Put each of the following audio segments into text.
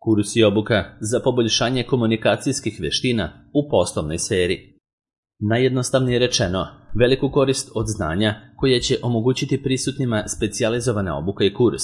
Kurs i obuka za poboljšanje komunikacijskih veština u poslovnoj sferi. Najjednostavnije rečeno, veliku korist od znanja koje će omogućiti prisutnima specijalizovana obuka i kurs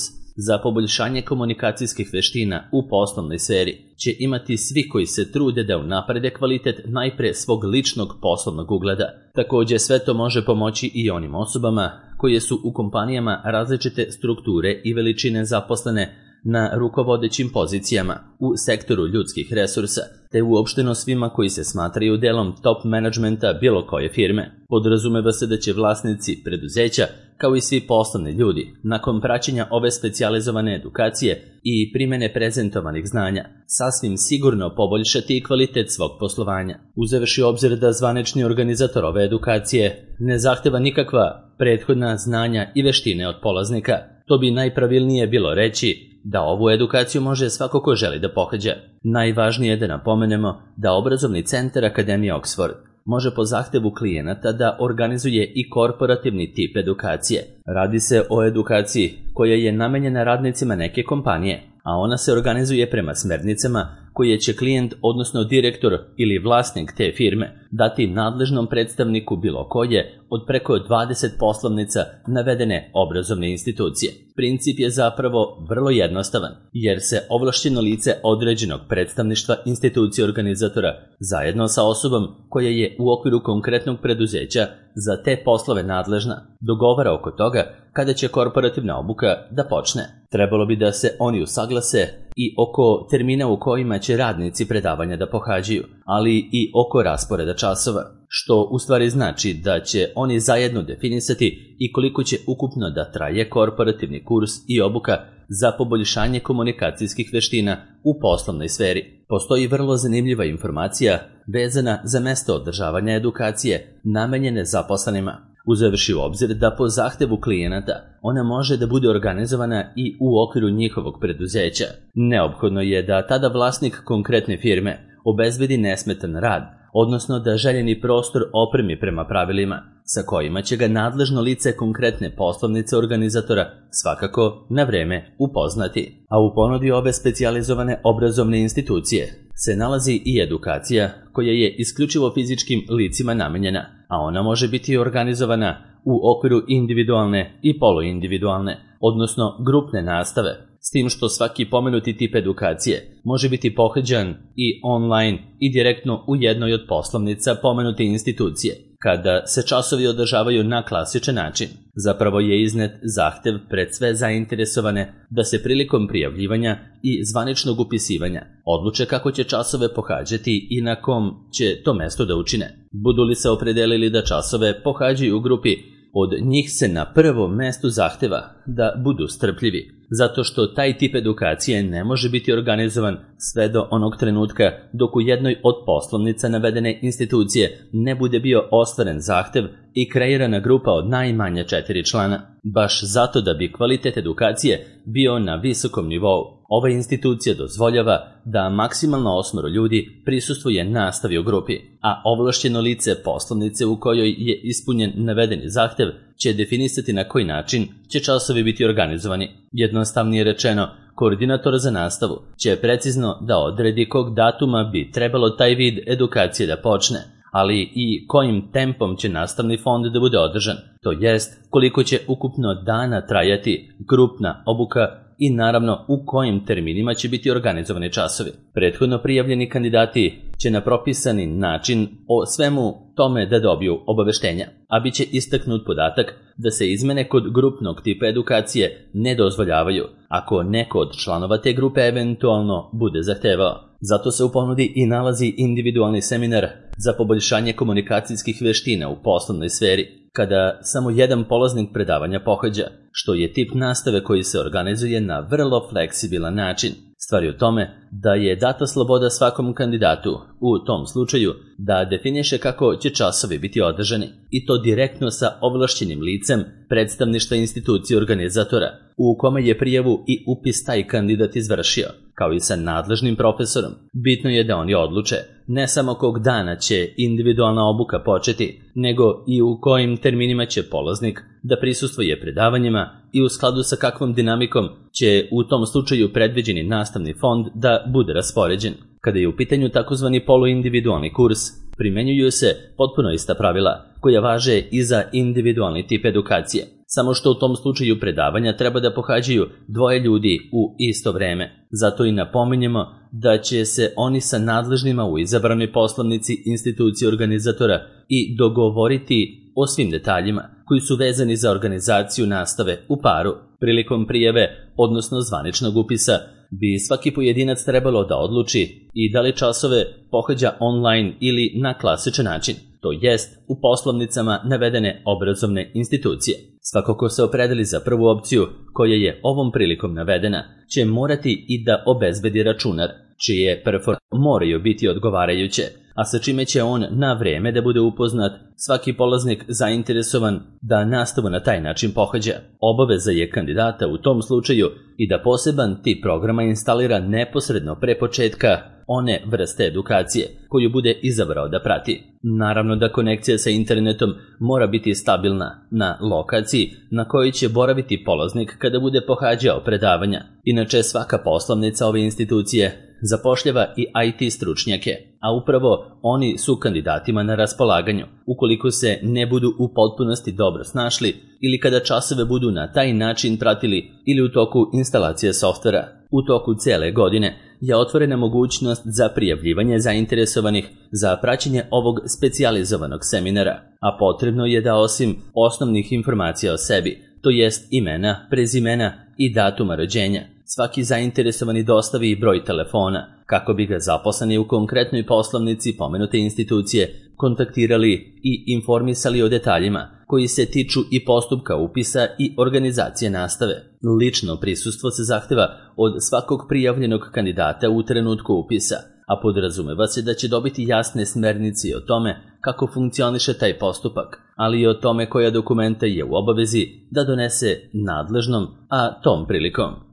za poboljšanje komunikacijskih veština u poslovnoj sferi će imati svi koji se trude da unaprede kvalitet najpre svog ličnog poslovnog ugleda. Također sve to može pomoći i onim osobama koje su u kompanijama različite strukture i veličine zaposlene na rukovodećim pozicijama u sektoru ljudskih resursa, te uopšteno svima koji se smatraju delom top menadžmenta bilo koje firme. Podrazumeva se da će vlasnici preduzeća, kao i svi poslovni ljudi, nakon praćenja ove specijalizovane edukacije i primene prezentovanih znanja, sasvim sigurno poboljšati kvalitet svog poslovanja. Uzevši u obzir da zvanični organizator ove edukacije ne zahteva nikakva prethodna znanja i veštine od polaznika, to bi najpravilnije bilo reći da ovu edukaciju može svako ko želi da pohađa. Najvažnije je da napomenemo da obrazovni centar Akademije Oxford može po zahtevu klijenata da organizuje i korporativni tip edukacije. Radi se o edukaciji koja je namenjena radnicima neke kompanije, a ona se organizuje prema smernicama koje će klijent, odnosno direktor ili vlasnik te firme, dati nadležnom predstavniku bilo koje od preko 20 poslovnica navedene obrazovne institucije. Princip je zapravo vrlo jednostavan, jer se ovlašćeno lice određenog predstavništva institucije organizatora zajedno sa osobom koja je u okviru konkretnog preduzeća za te poslove nadležna dogovara oko toga kada će korporativna obuka da počne. Trebalo bi da se oni usaglase i oko termina u kojima će radnici predavanja da pohađaju, ali i oko rasporeda časova, što u stvari znači da će oni zajedno definisati i koliko će ukupno da traje korporativni kurs i obuka za poboljšanje komunikacijskih veština u poslovnoj sferi. Postoji vrlo zanimljiva informacija vezana za mesto održavanja edukacije namenjene zaposlenima, uzevši u obzir da po zahtevu klijenata ona može da bude organizovana i u okviru njihovog preduzeća. Neophodno je da tada vlasnik konkretne firme obezbedi nesmetan rad, odnosno da željeni prostor opremi prema pravilima sa kojima će ga nadležno lice konkretne poslovnice organizatora svakako na vreme upoznati. A u ponudi ove specijalizovane obrazovne institucije se nalazi i edukacija koja je isključivo fizičkim licima namenjena, a ona može biti organizovana u okviru individualne i poluindividualne, odnosno grupne nastave, s tim što svaki pomenuti tip edukacije može biti pohađan i online i direktno u jednoj od poslovnica pomenute institucije, kada se časovi održavaju na klasičan način. Zapravo je iznet zahtev pred sve zainteresovane da se prilikom prijavljivanja i zvaničnog upisivanja odluče kako će časove pohađati i na kom će to mesto da učine. Budu li se opredelili da časove pohađaju u grupi, od njih se na prvom mestu zahteva da budu strpljivi, zato što taj tip edukacije ne može biti organizovan sve do onog trenutka dok u jednoj od poslovnica navedene institucije ne bude bio ostvaren zahtev i kreirana grupa od najmanje 4 člana. Baš zato da bi kvalitet edukacije bio na visokom nivou, ova institucija dozvoljava da maksimalno 8 ljudi prisustvuje nastavi u grupi, a ovlašćeno lice poslovnice u kojoj je ispunjen navedeni zahtev će definisati na koji način će časovi biti organizovani. Jednostavnije rečeno, koordinator za nastavu će precizno da odredi kog datuma bi trebalo taj vid edukacije da počne, ali i kojim tempom će nastavni fond da bude održan, to jest koliko će ukupno dana trajati grupna obuka i naravno u kojim terminima će biti organizovani časovi. Prethodno prijavljeni kandidati će na propisani način o svemu tome da dobiju obaveštenja, a bit će istaknut podatak da se izmene kod grupnog tipa edukacije ne dozvoljavaju ako neko od članova te grupe eventualno bude zahtevao. Zato se u ponudi i nalazi individualni seminar za poboljšanje komunikacijskih veština u poslovnoj sferi, kada samo jedan polaznik predavanja pohađa, što je tip nastave koji se organizuje na vrlo fleksibilan način. Stvar je u tome da je data sloboda svakom kandidatu u tom slučaju da definiše kako će časovi biti održani, i to direktno sa ovlašćenim licem predstavništva institucije organizatora u kome je prijavu i upis taj kandidat izvršio, kao i sa nadležnim profesorom. Bitno je da oni odluče ne samo kog dana će individualna obuka početi, nego i u kojim terminima će polaznik da prisustvuje predavanjima i u skladu sa kakvom dinamikom će u tom slučaju predviđeni nastavni fond da bude raspoređen. Kada je u pitanju takozvani poluindividualni kurs, primenjuju se potpuno ista pravila koja važe i za individualni tip edukacije, samo što u tom slučaju predavanja treba da pohađaju dvoje ljudi u isto vreme. Zato i napominjemo da će se oni sa nadležnima u izabranoj poslovnici institucije organizatora i dogovoriti o svim detaljima koji su vezani za organizaciju nastave u paru. Prilikom prijave, odnosno zvaničnog upisa, bi svaki pojedinac trebalo da odluči i da li časove pohađa online ili na klasičan način, to jest u poslovnicama navedene obrazovne institucije. Svako ko se opredeli za prvu opciju, koja je ovom prilikom navedena, će morati i da obezbedi računar, čije performanse moraju biti odgovarajuće, a sa čime će on na vreme da bude upoznat svaki polaznik zainteresovan da nastavu na taj način pohađa. Obaveza je kandidata u tom slučaju i da poseban tip programa instalira neposredno pre početka one vrste edukacije koju bude izabrao da prati. Naravno da konekcija sa internetom mora biti stabilna na lokaciji na kojoj će boraviti polaznik kada bude pohađao predavanja. Inače, svaka poslovnica ove institucije zapošljava i IT stručnjake, a upravo oni su kandidatima na raspolaganju, ukoliko se ne budu u potpunosti dobro snašli ili kada časove budu na taj način pratili ili u toku instalacije softvera. U toku cele godine je otvorena mogućnost za prijavljivanje zainteresovanih za praćenje ovog specijalizovanog seminara, a potrebno je da osim osnovnih informacija o sebi, to jest imena, prezimena i datuma rođenja, svaki zainteresovani dostavi i broj telefona, kako bi ga zaposleni u konkretnoj poslovnici pomenute institucije kontaktirali i informisali o detaljima koji se tiču i postupka upisa i organizacije nastave. Lično prisustvo se zahteva od svakog prijavljenog kandidata u trenutku upisa, a podrazumeva se da će dobiti jasne smernice o tome kako funkcioniše taj postupak, ali i o tome koja dokumenta je u obavezi da donese nadležnom, a tom prilikom.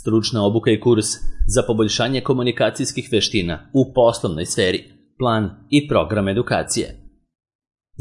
Stručna obuka i kurs za poboljšanje komunikacijskih veština u poslovnoj sferi, plan i program edukacije.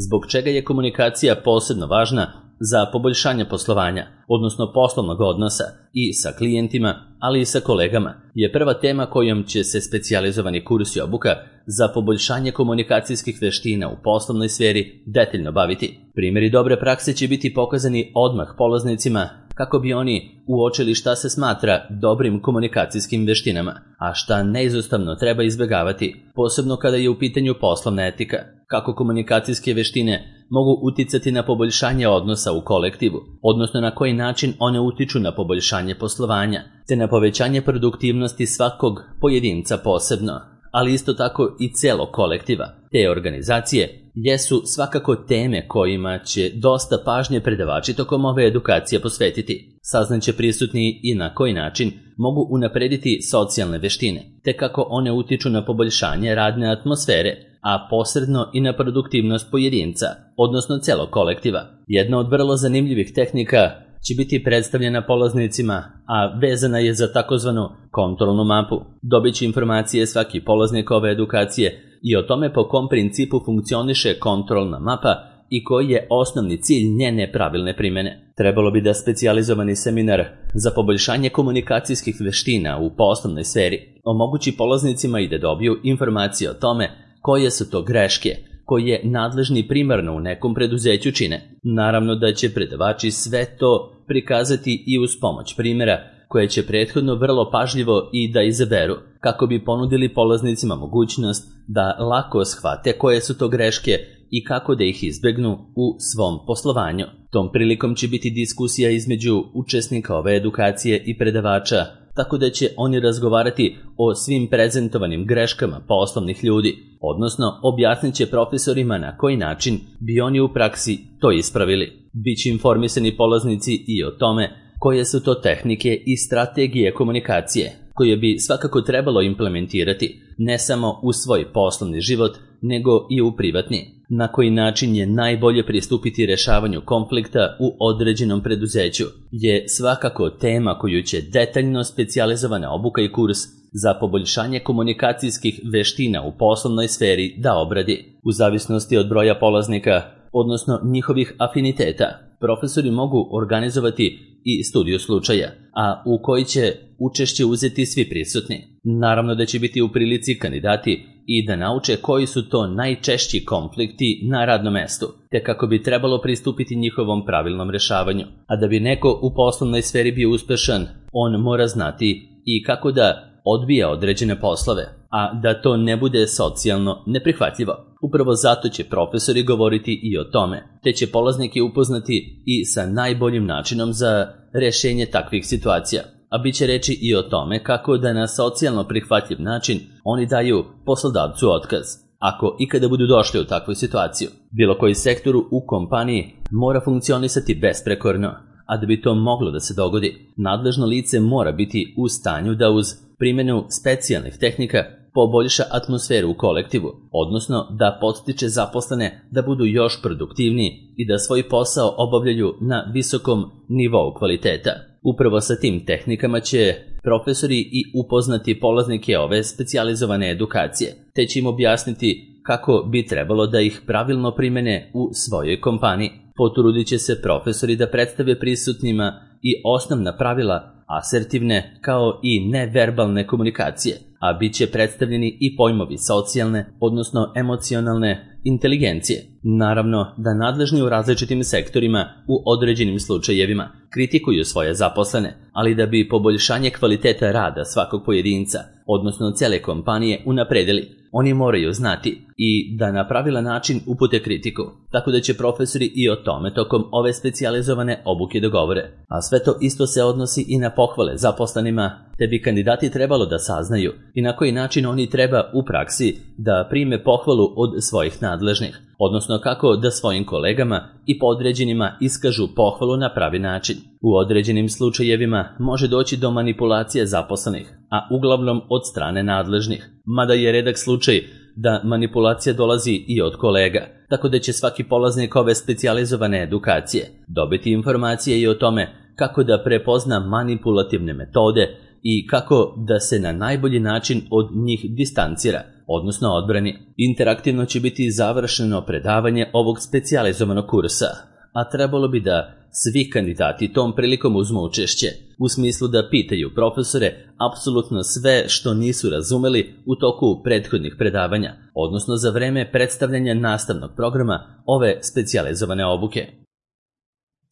Zbog čega je komunikacija posebno važna za poboljšanje poslovanja, odnosno poslovnog odnosa i sa klijentima, ali i sa kolegama, je prva tema kojom će se specijalizovani kurs i obuka za poboljšanje komunikacijskih veština u poslovnoj sferi detaljno baviti. Primjeri dobre prakse će biti pokazani odmah polaznicima kako bi oni uočili šta se smatra dobrim komunikacijskim veštinama, a šta neizostavno treba izbjegavati, posebno kada je u pitanju poslovna etika, kako komunikacijske veštine mogu uticati na poboljšanje odnosa u kolektivu, odnosno na koji način one utiču na poboljšanje poslovanja, te na povećanje produktivnosti svakog pojedinca posebno, ali isto tako i celog kolektiva, te organizacije, jesu svakako teme kojima će dosta pažnje predavači tokom ove edukacije posvetiti. Saznaće prisutni i na koji način mogu unaprediti socijalne veštine, te kako one utiču na poboljšanje radne atmosfere, a posredno i na produktivnost pojedinca, odnosno celog kolektiva. Jedna od vrlo zanimljivih tehnika će biti predstavljena polaznicima, a vezana je za takozvanu kontrolnu mapu. Dobit će informacije svaki polaznik ove edukacije i o tome po kom principu funkcioniše kontrolna mapa i koji je osnovni cilj njene pravilne primene. Trebalo bi da specijalizovani seminar za poboljšanje komunikacijskih veština u poslovnoj sferi omogući polaznicima i da dobiju informacije o tome koje su to greške koje nadležni primarno u nekom preduzeću čine. Naravno da će predavači sve to prikazati i uz pomoć primjera koje će prethodno vrlo pažljivo i da izaberu, kako bi ponudili polaznicima mogućnost da lako shvate koje su to greške i kako da ih izbegnu u svom poslovanju. Tom prilikom će biti diskusija između učesnika ove edukacije i predavača, tako da će oni razgovarati o svim prezentovanim greškama poslovnih ljudi, odnosno objasnit će profesorima na koji način bi oni u praksi to ispravili. Biće informisani polaznici i o tome koje su to tehnike i strategije komunikacije koje bi svakako trebalo implementirati ne samo u svoj poslovni život, nego i u privatni. Na koji način je najbolje pristupiti rešavanju konflikta u određenom preduzeću je svakako tema koju će detaljno specijalizovana obuka i kurs za poboljšanje komunikacijskih veština u poslovnoj sferi da obradi. U zavisnosti od broja polaznika, odnosno njihovih afiniteta, profesori mogu organizovati i studiju slučaja, a u koji će učešće uzeti svi prisutni. Naravno da će biti u prilici kandidati i da nauče koji su to najčešći konflikti na radnom mestu, te kako bi trebalo pristupiti njihovom pravilnom rešavanju. A da bi neko u poslovnoj sferi bio uspešan, on mora znati i kako da odbija određene poslove, a da to ne bude socijalno neprihvatljivo. Upravo zato će profesori govoriti i o tome, te će polaznike upoznati i sa najboljim načinom za rešenje takvih situacija. A bit će reći i o tome kako da na socijalno prihvatljiv način oni daju poslodavcu otkaz, ako ikada budu došli u takvu situaciju. Bilo koji sektor u kompaniji mora funkcionisati besprekorno, a da bi to moglo da se dogodi, nadležno lice mora biti u stanju da uz primjenu specijalnih tehnika poboljša atmosferu u kolektivu, odnosno da podstiče zaposlene da budu još produktivniji i da svoj posao obavljaju na visokom nivou kvaliteta. Upravo sa tim tehnikama će profesori i upoznati polaznike ove specijalizovane edukacije, te će im objasniti kako bi trebalo da ih pravilno primene u svojoj kompaniji. Potrudit će se profesori da predstave prisutnima i osnovna pravila asertivne kao i neverbalne komunikacije, a bit će predstavljeni i pojmovi socijalne, odnosno emocionalne inteligencije. Naravno da nadležni u različitim sektorima u određenim slučajevima kritikuju svoje zaposlene, ali da bi poboljšanje kvaliteta rada svakog pojedinca, odnosno cele kompanije, unapredili, oni moraju znati i da na pravilan način upute kritiku, tako da će profesori i o tome tokom ove specijalizovane obuke dogovore. A sve to isto se odnosi i na pohvale zaposlenima, te bi kandidati trebalo da saznaju i na koji način oni treba u praksi da prime pohvalu od svojih nadležnih, odnosno kako da svojim kolegama i podređenima iskažu pohvalu na pravi način. U određenim slučajevima može doći do manipulacije zaposlenih, a uglavnom od strane nadležnih, mada je redak slučaj da manipulacija dolazi i od kolega, tako da će svaki polaznik ove specijalizovane edukacije dobiti informacije i o tome kako da prepozna manipulativne metode i kako da se na najbolji način od njih distancira, odnosno odbrani. Interaktivno će biti završeno predavanje ovog specijalizovanog kursa, a trebalo bi da svi kandidati tom prilikom uzmu učešće, u smislu da pitaju profesore apsolutno sve što nisu razumeli u toku prethodnih predavanja, odnosno za vreme predstavljanja nastavnog programa ove specijalizovane obuke.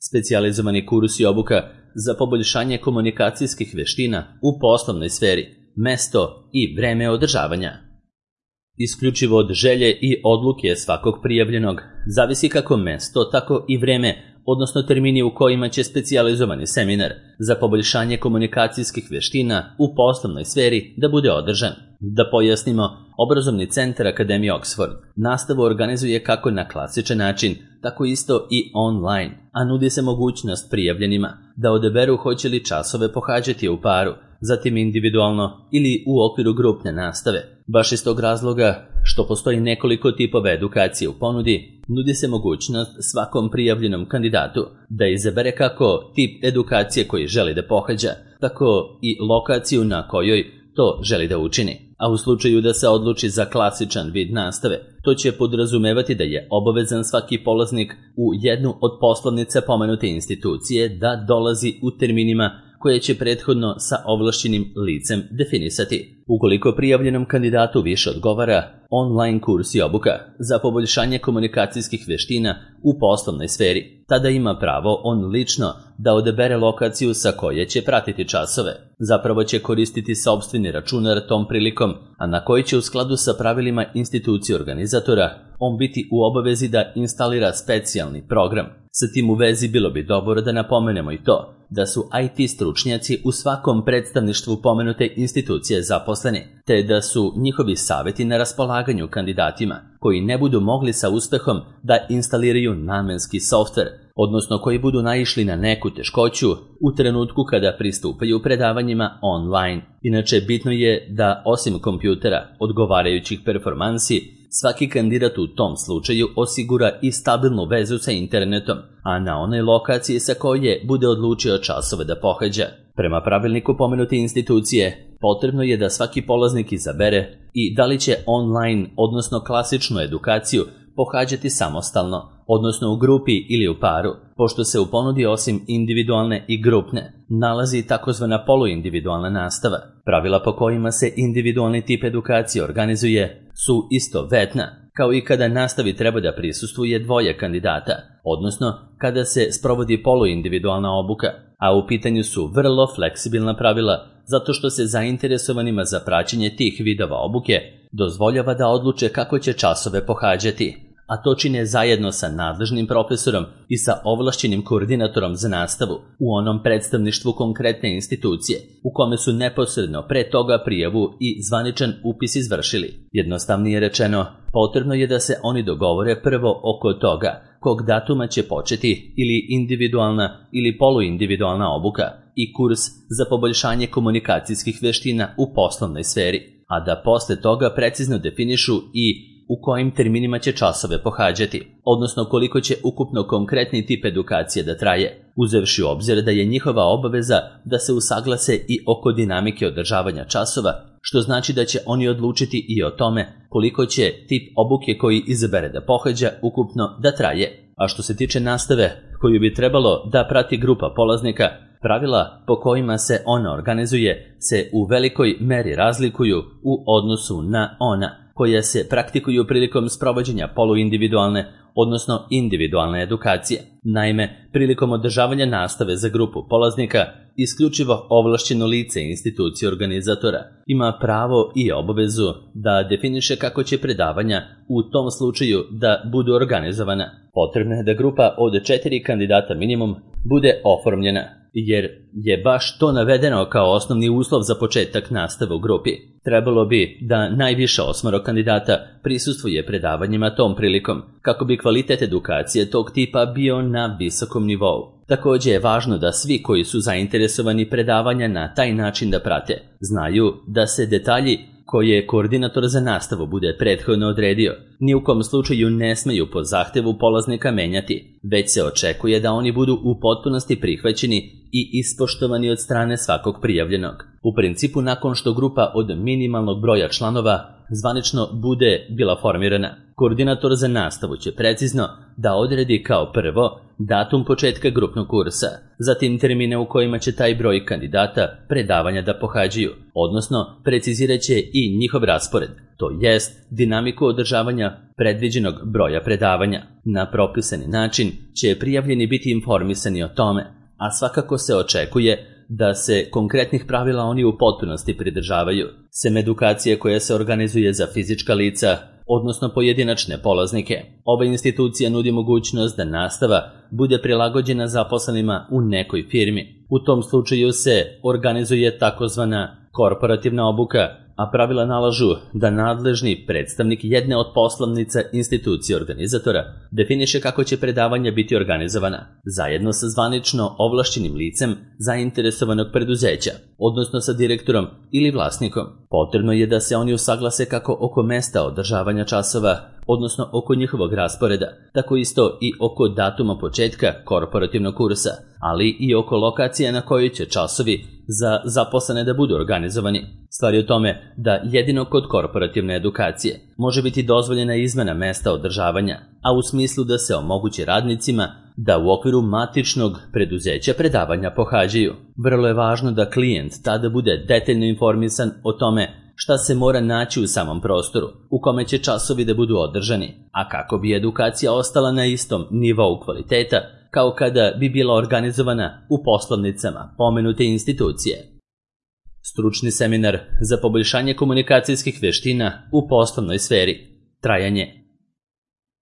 Specijalizovani kurs i obuka za poboljšanje komunikacijskih veština u poslovnoj sferi, mesto i vreme održavanja. Isključivo od želje i odluke svakog prijavljenog zavisi kako mesto, tako i vreme, odnosno termini u kojima će specijalizovani seminar za poboljšanje komunikacijskih veština u poslovnoj sferi da bude održan. Da pojasnimo, Obrazovni centar Akademije Oxford nastavu organizuje kako na klasičan način, tako isto i online, a nudi se mogućnost prijavljenima da odaberu hoće li časove pohađati u paru, zatim individualno ili u okviru grupne nastave. Baš iz tog razloga što postoji nekoliko tipova edukacije u ponudi, nudi se mogućnost svakom prijavljenom kandidatu da izabere kako tip edukacije koji želi da pohađa, tako i lokaciju na kojoj to želi da učini. A u slučaju da se odluči za klasičan vid nastave, to će podrazumevati da je obavezan svaki polaznik u jednu od poslovnica pomenute institucije da dolazi u terminima koje će prethodno sa ovlašćenim licem definisati. Ukoliko prijavljenom kandidatu više odgovara online kurs i obuka za poboljšanje komunikacijskih veština u poslovnoj sferi, tada ima pravo on lično da odabere lokaciju sa koje će pratiti časove. Zapravo će koristiti sopstveni računar tom prilikom, a na koji će u skladu sa pravilima institucije organizatora on biti u obavezi da instalira specijalni program. Sa tim u vezi bilo bi dobro da napomenemo i to da su IT stručnjaci u svakom predstavništvu pomenute institucije zaposleni, te da su njihovi savjeti na raspolaganju kandidatima koji ne budu mogli sa uspehom da instaliraju namenski softver, odnosno koji budu naišli na neku teškoću u trenutku kada pristupaju predavanjima online. Inače, bitno je da osim kompjutera odgovarajućih performansi, svaki kandidat u tom slučaju osigura i stabilnu vezu sa internetom, a na onoj lokaciji sa koje bude odlučio časove da pohađa. Prema pravilniku pomenute institucije, potrebno je da svaki polaznik izabere i da li će online, odnosno klasičnu edukaciju pohađati samostalno, odnosno u grupi ili u paru, pošto se u ponudi osim individualne i grupne nalazi takozvana poluindividualna nastava. Pravila po kojima se individualni tip edukacije organizuje su istovetna, kao i kada nastavi treba da prisustvuje dvoje kandidata, odnosno kada se sprovodi poluindividualna obuka, a u pitanju su vrlo fleksibilna pravila zato što se zainteresovanima za praćenje tih vidova obuke dozvoljava da odluče kako će časove pohađati, a to čine zajedno sa nadležnim profesorom i sa ovlašćenim koordinatorom za nastavu u onom predstavništvu konkretne institucije u kome su neposredno pre toga prijavu i zvaničan upis izvršili. Jednostavnije rečeno, potrebno je da se oni dogovore prvo oko toga kog datuma će početi ili individualna ili poluindividualna obuka i kurs za poboljšanje komunikacijskih veština u poslovnoj sferi, a da posle toga precizno definišu i u kojim terminima će časove pohađati, odnosno koliko će ukupno konkretni tip edukacije da traje, uzevši u obzir da je njihova obaveza da se usaglase i oko dinamike održavanja časova, što znači da će oni odlučiti i o tome koliko će tip obuke koji izabere da pohađa ukupno da traje. A što se tiče nastave koju bi trebalo da prati grupa polaznika, pravila po kojima se ona organizuje se u velikoj meri razlikuju u odnosu na ona koja se praktikuju prilikom sprovođenja poluindividualne, odnosno individualne edukacije. Naime, prilikom održavanja nastave za grupu polaznika, isključivo ovlašćeno lice institucije organizatora ima pravo i obavezu da definiše kako će predavanja u tom slučaju da budu organizovana. Potrebno je da grupa od 4 kandidata minimum bude oformljena, jer je baš to navedeno kao osnovni uslov za početak nastave u grupi. Trebalo bi da najviše 8 kandidata prisustvuje predavanjima tom prilikom, kako bi kvalitet edukacije tog tipa bio na visokom nivou. Također je važno da svi koji su zainteresovani predavanja na taj način da prate, znaju da se detalji koje koordinator za nastavu bude prethodno odredio, ni u kom slučaju ne smeju po zahtevu polaznika menjati, već se očekuje da oni budu u potpunosti prihvaćeni i ispoštovani od strane svakog prijavljenog. U principu, nakon što grupa od minimalnog broja članova zvanično bude bila formirana, koordinator za nastavu će precizno da odredi kao prvo datum početka grupnog kursa, zatim termine u kojima će taj broj kandidata predavanja da pohađaju, odnosno precizirat će i njihov raspored, to jest dinamiku održavanja predviđenog broja predavanja. Na propisani način će prijavljeni biti informisani o tome, a svakako se očekuje da se konkretnih pravila oni u potpunosti pridržavaju. Sem edukacije koja se organizuje za fizička lica, odnosno pojedinačne polaznike, ova institucija nudi mogućnost da nastava bude prilagođena zaposlenima u nekoj firmi. U tom slučaju se organizuje takozvana korporativna obuka, a pravila nalažu da nadležni predstavnik jedne od poslovnica institucije organizatora definiše kako će predavanja biti organizovana, zajedno sa zvanično ovlašćenim licem zainteresovanog preduzeća, odnosno sa direktorom ili vlasnikom. Potrebno je da se oni usaglase kako oko mesta održavanja časova, odnosno oko njihovog rasporeda, tako isto i oko datuma početka korporativnog kursa, ali i oko lokacije na kojoj će časovi za zaposlene da budu organizovani. Stvar je u tome da jedino kod korporativne edukacije može biti dozvoljena izmena mesta održavanja, a u smislu da se omogući radnicima da u okviru matičnog preduzeća predavanja pohađaju. Vrlo je važno da klijent tada bude detaljno informisan o tome šta se mora naći u samom prostoru, u kome će časovi da budu održani, a kako bi edukacija ostala na istom nivou kvaliteta kao kada bi bila organizovana u poslovnicama pomenute institucije. Stručni seminar za poboljšanje komunikacijskih veština u poslovnoj sferi. Trajanje.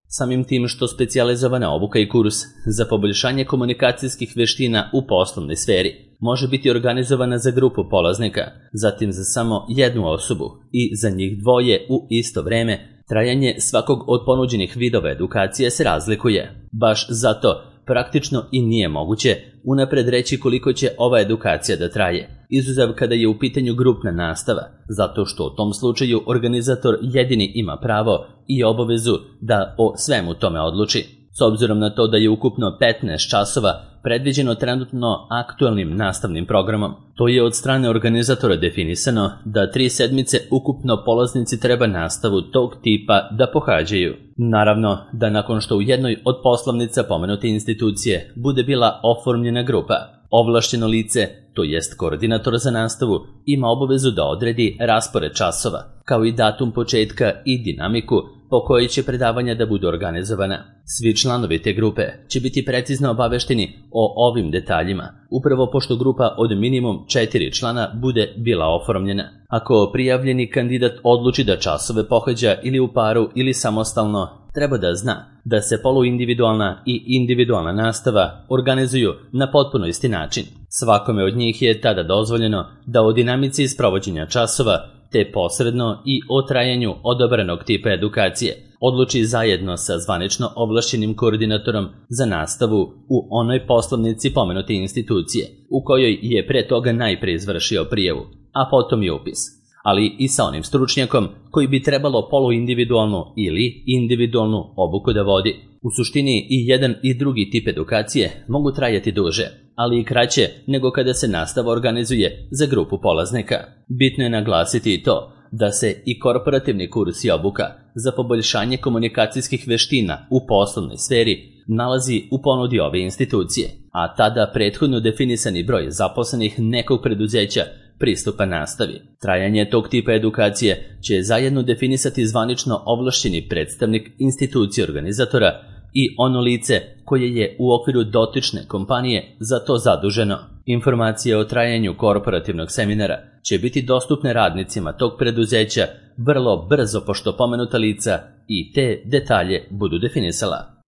Samim tim što specijalizovana obuka i kurs za poboljšanje komunikacijskih veština u poslovnoj sferi može biti organizovana za grupu polaznika, zatim za samo jednu osobu i za njih dvoje u isto vreme, trajanje svakog od ponuđenih vidova edukacije se razlikuje. Baš zato praktično i nije moguće unapred reći koliko će ova edukacija da traje, izuzev kada je u pitanju grupna nastava, zato što u tom slučaju organizator jedini ima pravo i obavezu da o svemu tome odluči. S obzirom na to da je ukupno 15 časova predviđeno trenutno aktualnim nastavnim programom. To je od strane organizatora definisano da 3 sedmice ukupno polaznici treba nastavu tog tipa da pohađaju. Naravno da nakon što u jednoj od poslovnica pomenute institucije bude bila oformljena grupa, ovlašćeno lice, to jest koordinator za nastavu, ima obavezu da odredi raspored časova, kao i datum početka i dinamiku po kojoj će predavanja da budu organizovana. Svi članovi te grupe će biti precizno obavešteni o ovim detaljima, upravo pošto grupa od minimum 4 člana bude bila oformljena. Ako prijavljeni kandidat odluči da časove pohađa ili u paru ili samostalno, treba da zna da se poluindividualna i individualna nastava organizuju na potpuno isti način. Svakome od njih je tada dozvoljeno da o dinamici sprovođenja časova te posredno i o trajanju odabranog tipa edukacije odluči zajedno sa zvanično ovlašćenim koordinatorom za nastavu u onoj poslovnici pomenute institucije, u kojoj je pre toga najpre izvršio prijavu, a potom i upis, ali i sa onim stručnjakom koji bi trebalo poluindividualnu ili individualnu obuku da vodi. U suštini i jedan i drugi tip edukacije mogu trajati duže, ali i kraće nego kada se nastava organizuje za grupu polaznika. Bitno je naglasiti i to da se i korporativni kurs i obuka za poboljšanje komunikacijskih veština u poslovnoj sferi nalazi u ponudi ove institucije, a tada prethodno definisani broj zaposlenih nekog preduzeća pristupa nastavi. Trajanje tog tipa edukacije će zajedno definisati zvanično ovlašćeni predstavnik institucije organizatora i ono lice koje je u okviru dotične kompanije za to zaduženo. Informacije o trajanju korporativnog seminara će biti dostupne radnicima tog preduzeća vrlo brzo pošto pomenuta lica i te detalje budu definisala.